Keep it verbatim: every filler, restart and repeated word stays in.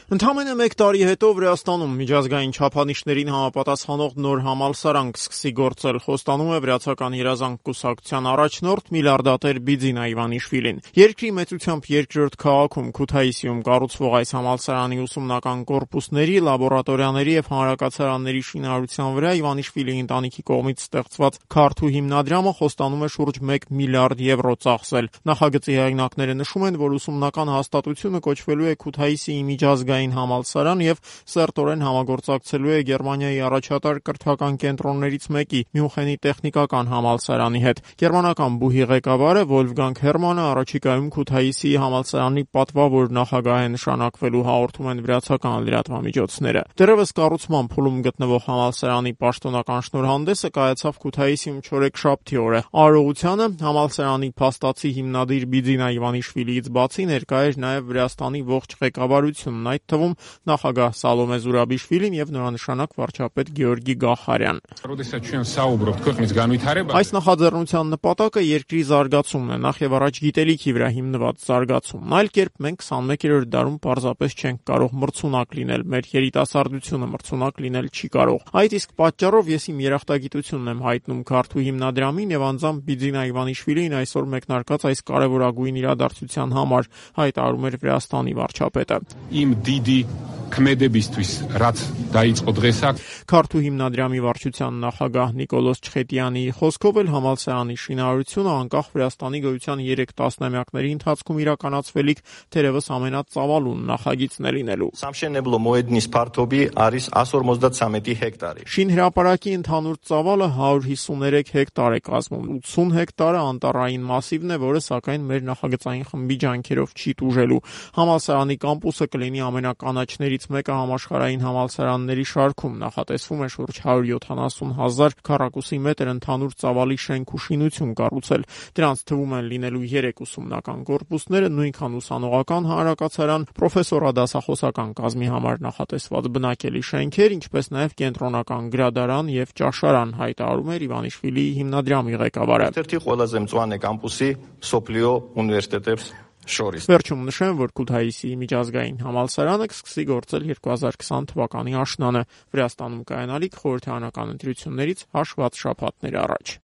Ընդամենը մեկ տարի հետո Վրաստանում միջազգային չափանիշներին համապատասխանող նոր համալսարան կսկսի գործել, խոստանում է Վրացական երազանք կուսակցության առաջնորդ միլիարդատեր Բիձինա Իվանիշվիլին։ Երկրի մեծությամբ երկրորդ քաղաքում Քութայիսիում կառուցվող այս համալսարանի ուսումնական կորպուսների, լաբորատորիաների եւ հանրակացարանների շինարարության վրա Իվանիշվիլի ընտանիքի կողմից ստեղծված քարթու հիմնադրամը խոստանում է շուրջ մեկ միլիարդ եվրո ծախսել։ Նախագծի հեղինակները նշում են, որ ուսումնական հաստատությունը կոչվելու է Քութայիսիի միջազգային համալսարան եւ սերտորեն համագործակցելու է Գերմանիայի առաջատար կրթական կենտրոններից մեկի՝ Մյունխենի տեխնիկական համալսարանի հետ։ Գերմանական բուհի ղեկավարը Վոլֆգանգ Հերմանը առաջիկայում Քութայիսիի համալսարանի պատվավոր նախագահ է նշանակվելու, հաղորդում են վրացական լրատվամիջոցները։ Դեռևս կառուցման փուլում գտնվող համալսարանի պաշտոնական շնորհանդեսը կայացավ Քութայիսիում չորեքշաբթի օրը։ Արարողությանը համալսարանի փաստացի հիմնադիր Բիձինա Իվանիշվիլիից բացի ներկա էր նաև Վրաստանի ողջ ղեկավարությունն, այդ թվում նախագահ Սալոմե Զուրաբիշվիլին եւ նորանշանակ վարչապետ Գեորգի Գախարյան։ Այս նախաձեռնության նպատակը երկրի զարգացումն է, նախ եւ առաջ գիտելիքի վրա հիմնված զարգացումն։ Այլ կերպ մենք քսանմեկերորդ դարում պարզապես չենք կարող մրցունակ լինել, մեր երիտասարդությունը մրցունակ լինել չի կարող։ Այդ իսկ պատճառով ես իմ երախտագիտությունն եմ հայտնում քարթու հիմնադրամին եւ անձամբ Բիձինա Իվանիշվիլին այսօր մեկնարկած այս կարևորագույն իրադարձության համար, հայտարարում էր Վրաստանի վարչապետը։ Իմ դիդի քմեդեբիստուիս ռաց դայիწყո դրեսա Քարթու հիմնադրամի վարչության նախագահ Նիկոլոս Չխետյանի խոսքով էլ համալսարանի շինարարությունը անկախ Վրաստանի գոյության երեք տասնամյակների ընթացքում իրականացվելիք թերևս ամենածավալուն նախագիծն է լինելու։ Շինհրապարակի ընդհանուր ծավալը հարյուր հիսուներեք հեկտար է կազմում, ութսուն հեկտարը անտառային մասիվն է, որը սակայն մեր նախագծային խմբի ջանքերով չի տուժելու։ Համալսարանի կամպուսը կլինի ամենականաչներից մեկը համաշխարհային համալսարանների շարքում, նախատեսվում է շուրջ հարյուր յոթանասուն հազար քառակուսի մետր ընդհանուր ծավալի շենք ու շինություն կառուցել։ Դրանց թվում են լինելու երեք ուսումնական կորպուսները, նույնքան ուսանողական հանրակացարան, պրոֆեսորադասախոսական կազմի համար նախատեսված բնակելի շենքեր, ինչպես նաև կենտրոնական գրադարան եւ ճաշարան, հայտարարում էր Իվանիշվիլիի հիմնադրամի ղեկավարը։ Վերջում նշեմ, որ Քութայիսիի միջազգային համալսարանը կսկսի գործել երկու հազար քսան թվականի աշնանը, Վրաստանում կայանալիք խորհրդարանական ընտրություններից հաշված շաբաթներ առաջ։